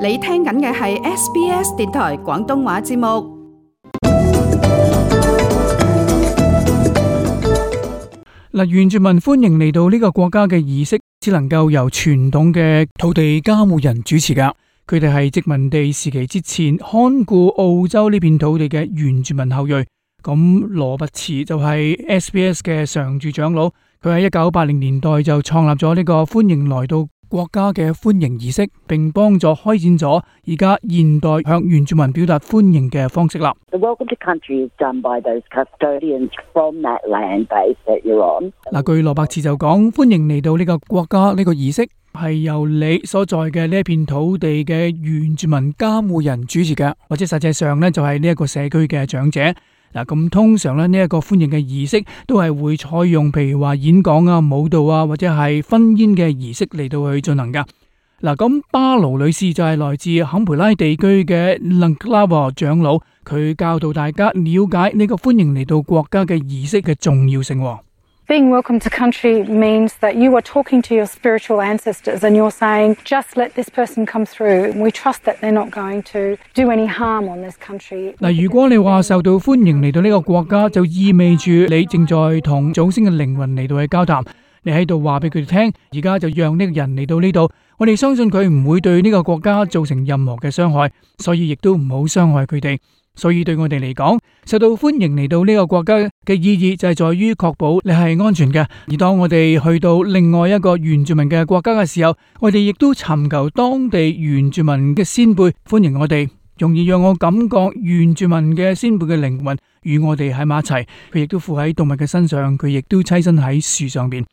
你聽緊嘅係 SBS 電台廣東話節目。原住民歡迎嚟到呢個國家嘅儀式，只能夠由傳統嘅土地監護人主持噶。佢哋係殖民地時期之前看顧澳洲呢片土地嘅原住民後裔。咁羅拔茨就係 SBS 嘅常駐長老，佢喺1980年代就創立咗呢個歡迎來到國家嘅歡迎儀式，並幫助開展咗而家現代向原住民表達歡迎嘅方式啦。The welcome to country is done by those custodians from that land base that you're on. 據羅伯茨就講，歡迎嚟到呢個國家呢個儀式係由你所在嘅呢一片土地嘅原住民監護人主持嘅，或者實際上呢就係呢一個社區嘅長者。咁通常咧呢一個歡迎嘅儀式都係會採用譬如話演講啊、舞蹈啊或者係婚宴嘅儀式嚟到去進行噶。咁巴勞女士就係來自坎培拉地區嘅 Langklawa 長老，佢教導大家了解呢個歡迎嚟到國家嘅儀式嘅重要性。Being welcome to country means that you are talking to your spiritual ancestors and you're saying, just let this person come through. We trust that they're not going to do any harm on this country. 如果你話受到歡迎嚟到呢個國家，就意味住你正在同祖先嘅靈魂嚟到去交談。你喺度話俾佢哋聽，而家就讓呢個人嚟到呢度，我哋相信佢唔會對呢個國家造成任何嘅傷害，所以亦都唔好傷害佢哋。所以對我哋嚟講，受到歡迎嚟到呢個國家嘅意義就係在於確保你係安全嘅。而當我哋去到另外一個原住民嘅國家嘅時候，我哋亦都尋求當地原住民嘅先輩歡迎我哋，容易讓我感覺原住民嘅先輩嘅靈魂與我哋喺埋一齊。佢亦都附喺動物嘅身上，佢亦都棲身喺樹上邊。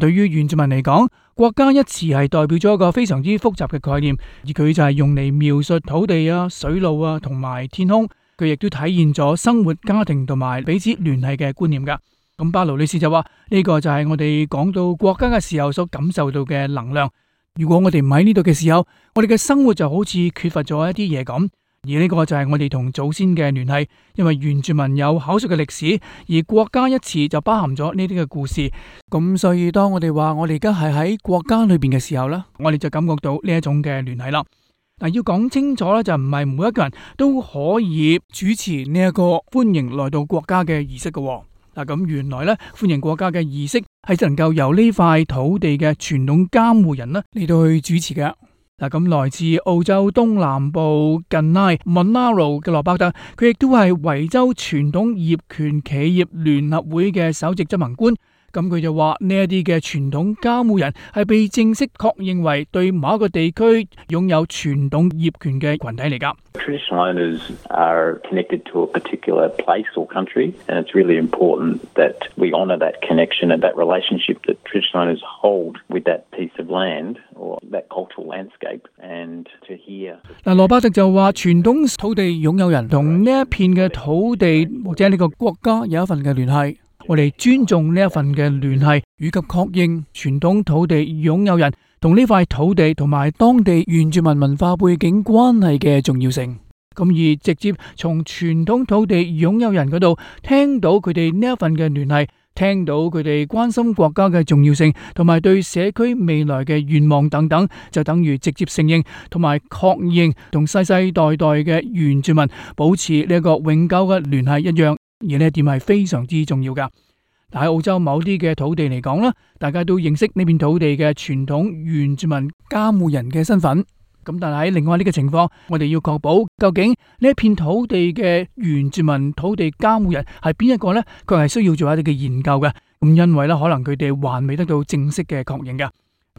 對於原住民嚟講，國家一詞係代表咗一個非常之複雜嘅概念，而佢就係用嚟描述土地啊、水路啊同埋天空。佢亦都體現咗生活、家庭同埋彼此聯繫嘅觀念噶。咁巴勞女士就話呢個就係我哋講到國家嘅時候所感受到嘅能量。如果我哋唔喺呢度嘅時候，我哋嘅生活就好似缺乏咗一啲嘢咁。而呢個就係我哋同祖先嘅聯繫，因為原住民有口述嘅歷史，而國家一詞就包含咗呢啲嘅故事。咁所以當我哋話我哋而家係喺國家裏邊嘅時候呢，我哋就感覺到呢一種嘅聯繫啦。要講清楚咧，就唔係每一個人都可以主持呢一個歡迎來到國家嘅儀式嘅。咁原來咧，歡迎國家嘅儀式係只能夠由呢塊土地嘅傳統監護人啦嚟到去主持嘅。咁來自澳洲東南部近拉 Monaro 嘅羅伯特，佢亦都係維州傳統業權企業聯合會嘅首席執行官。咁佢就話呢一啲嘅傳統監護人係被正式確認為對某一個地區擁有傳統業權嘅群體嚟㗎。Traditional owners are connected to a particular place or country, and it's really important that we honour that connection and that relationship that traditional owners hold with that piece of land or that cultural landscape. And to hear 羅伯特就話傳統土地擁有人同呢一片嘅土地或者呢個國家有一份嘅聯繫。我哋尊重呢一份嘅聯繫，以及確認傳統土地擁有人同呢塊土地同埋當地原住民文化背景關係嘅重要性。咁而直接從傳統土地擁有人嗰度聽到佢哋呢一份嘅聯繫，聽到佢哋關心國家嘅重要性，同埋對社區未來嘅願望等等，就等於直接承認同埋確認同世世代代嘅原住民保持呢一個永久嘅聯繫一樣。而呢一點係非常之重要噶。喺澳洲某啲嘅土地嚟講啦，大家都認識呢片土地嘅傳統原住民監護人嘅身份。咁但係喺另外呢個情況，我哋要確保究竟呢一片土地嘅原住民土地監護人係邊一個呢？佢係需要做一啲嘅研究嘅。咁因為咧，可能佢哋還未得到正式嘅確認噶。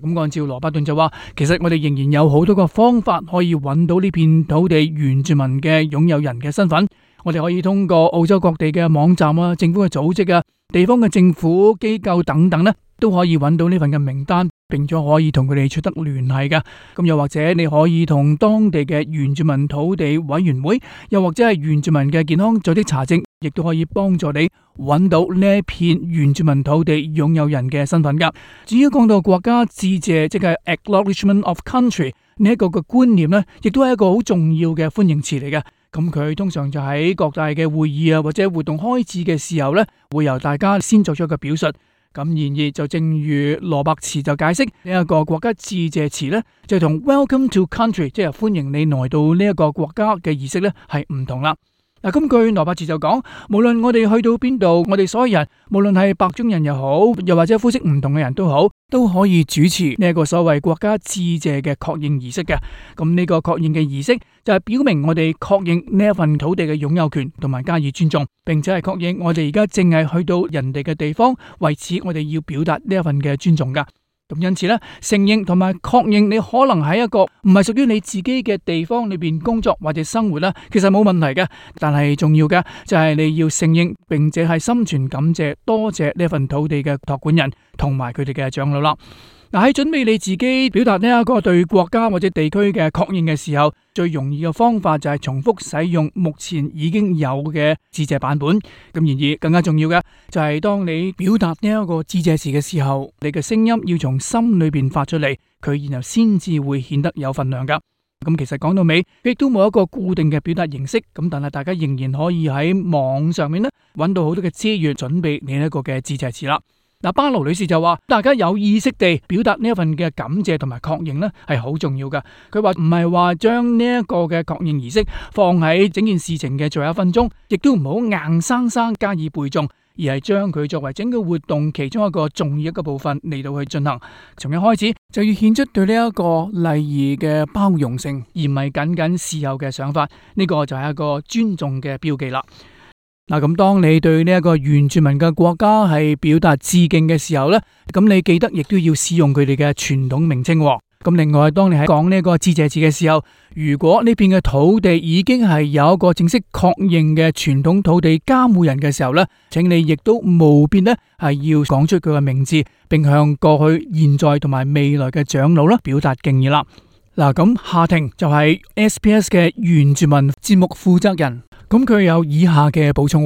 咁按照羅伯頓就話，其實我哋仍然有好多個方法可以揾到呢片土地原住民嘅擁有人嘅身份。我哋可以通過澳洲各地嘅網站啊、政府嘅組織啊、地方嘅政府機構等等咧，都可以揾到呢份嘅名單，並且可以同佢哋取得聯繫嘅。咁又或者你可以同當地嘅原住民土地委員會，又或者係原住民嘅健康組織查證，亦都可以幫助你揾到呢一片原住民土地擁有人嘅身份噶。至於講到國家致謝，即係 Acknowledgement of Country 呢一個嘅觀念呢，亦都係一個好重要嘅歡迎詞嚟嘅。咁佢通常就喺各大嘅會議啊或者活動開始嘅時候呢，會由大家先作出一個表述。咁然而就正如羅伯茨就解釋呢一個國家致謝詞呢，就同 Welcome to Country 即係歡迎你來到呢一個國家嘅儀式呢係唔同啦。嗱，根據羅伯茨就講，無論我哋去到邊度，我哋所有人，無論係白種人又好，又或者膚色唔同嘅人都好，都可以主持呢一個所謂國家致謝嘅確認儀式嘅。咁呢個確認嘅儀式就係表明我哋確認呢一份土地嘅擁有權，同埋加以尊重，並且係確認我哋而家淨係去到人哋嘅地方，為此我哋要表達呢一份嘅尊重噶。咁因此咧，承認同埋確認你可能喺一個唔係屬於你自己嘅地方裏邊工作或者生活啦，其實冇問題嘅。但係重要嘅就係你要承認，並且係心存感謝，多謝呢份土地嘅託管人同埋佢哋嘅長老啦。嗱，喺準備你自己表達呢一個對國家或者地區嘅確認嘅時候，最容易嘅方法就係重複使用目前已經有嘅致謝版本。咁然而更加重要嘅就係當你表達呢一個致謝詞嘅時候，你嘅聲音要從心裏邊發出嚟，佢然後先至會顯得有份量噶。咁其實講到尾，亦都冇一個固定嘅表達形式，咁但係大家仍然可以喺網上面咧揾到好多嘅資源，準備你一個嘅致謝詞啦。嗱，巴勞女士就話，大家有意識地表達呢一份嘅感謝同埋確認呢係好重要噶。佢話唔係話將呢一個嘅確認儀式放喺整件事情嘅最後1分鐘，亦都唔好硬生生加以背誦，而係將佢作為整個活動其中一個重要一個部分嚟到去進行。從一開始就要顯出對呢一個禮儀嘅包容性，而唔係僅僅事後嘅想法。呢個就係一個尊重嘅標記啦。嗱，咁當你對呢一個原住民嘅國家係表達致敬嘅時候呢，咁你記得亦都要使用佢哋嘅傳統名稱。咁另外，當你喺講呢個致謝詞嘅時候，如果呢片嘅土地已經係有一個正式確認嘅傳統土地監護人嘅時候呢，請你亦都務必呢係要講出佢嘅名字，並向過去、現在同埋未來嘅長老啦表達敬意啦。嗱，咁夏婷就係 SBS 嘅原住民節目負責人。咁佢有以下嘅補充。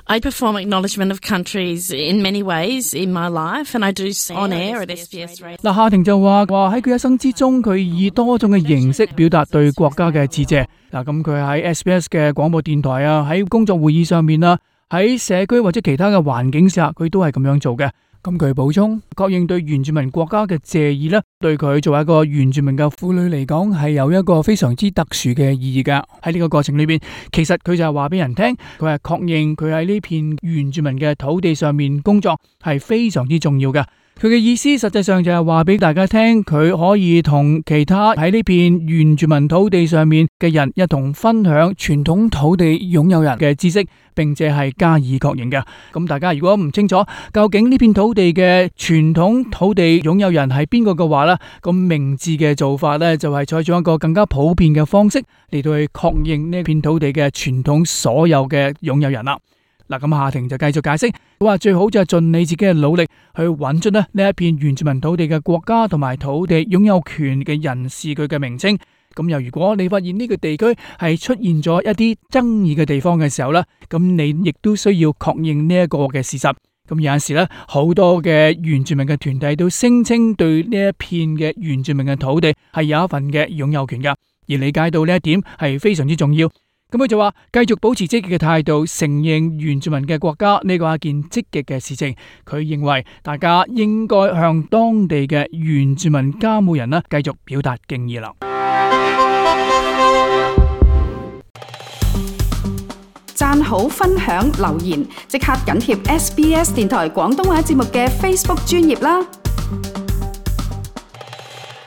I perform acknowledgement of countries in many ways in my life, and I do on air at SBS Radio. 嗱，夏婷就話喺佢一生之中，佢以多種嘅形式表達對國家嘅致謝。嗱，咁佢喺 SBS 嘅廣播電台啊，喺工作會議上面啊，喺社區或者其他嘅環境下，佢都係咁樣做嘅。咁佢補充，確認對原住民國家嘅謝意呢，對佢作為一個原住民嘅婦女嚟講，係有一個非常之特殊嘅意義噶。喺呢個過程裏邊，其實佢就係話俾人聽，佢係確認佢喺呢片原住民嘅土地上面工作係非常之重要嘅。佢嘅意思實際上就係話俾大家聽，佢可以同其他喺呢片原住民土地上面嘅人一同分享傳統土地擁有人嘅知識，並且係加以確認嘅。咁大家如果唔清楚究竟呢片土地嘅傳統土地擁有人係邊個嘅話呢，咁明智嘅做法呢，就係採取一個更加普遍嘅方式嚟到去確認呢片土地嘅傳統所有嘅擁有人啦。嗱，咁夏婷就繼續解釋，佢話最好就係盡你自己嘅努力去揾出呢一片原住民土地嘅國家同埋土地擁有權嘅人士佢嘅名稱。咁又如果你發現呢個地區係出現咗一啲爭議嘅地方嘅時候呢，咁你亦都需要確認呢一個嘅事實。咁有陣時呢，好多嘅原住民嘅團體都聲稱對呢一片嘅原住民嘅土地係有一份嘅擁有權噶，而理解到呢一點係非常之重要。咁佢就話繼續保持積極嘅態度，承認原住民嘅國家，呢個係一件積極嘅事情。佢認為大家應該向當地嘅原住民監護人啦，繼續表達敬意啦。讚好、分享、留言，即刻緊貼SBS 電台廣東話節目嘅 Facebook 專頁啦！